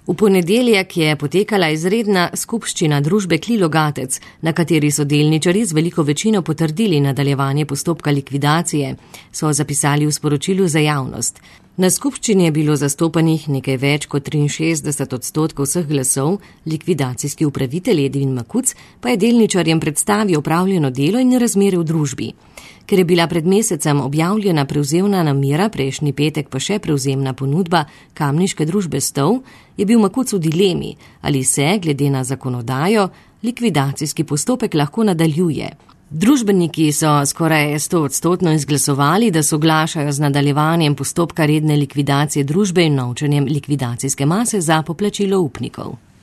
V ponedeljek je potekala izredna skupščina družbe Klilogatec, na kateri so delničarji z veliko večino potrdili nadaljevanje postopka likvidacije, so zapisali v sporočilu za javnost. Na skupščini je bilo zastopanih nekaj več kot 63% vseh glasov, likvidacijski upravitelj Edvin Makuc pa je delničarjem predstavil opravljeno delo in razmere v družbi. Ker je bila pred mesecem objavljena prevzemna namera, prejšnji petek pa še prevzemna ponudba kamniške družbe Stov, je bil Makuc v dilemi, ali se, glede na zakonodajo, likvidacijski postopek lahko nadaljuje. Družbeniki so skoraj 100% izglasovali, da soglašajo z nadaljevanjem postopka redne likvidacije družbe in novčanjem likvidacijske mase za poplačilo upnikov.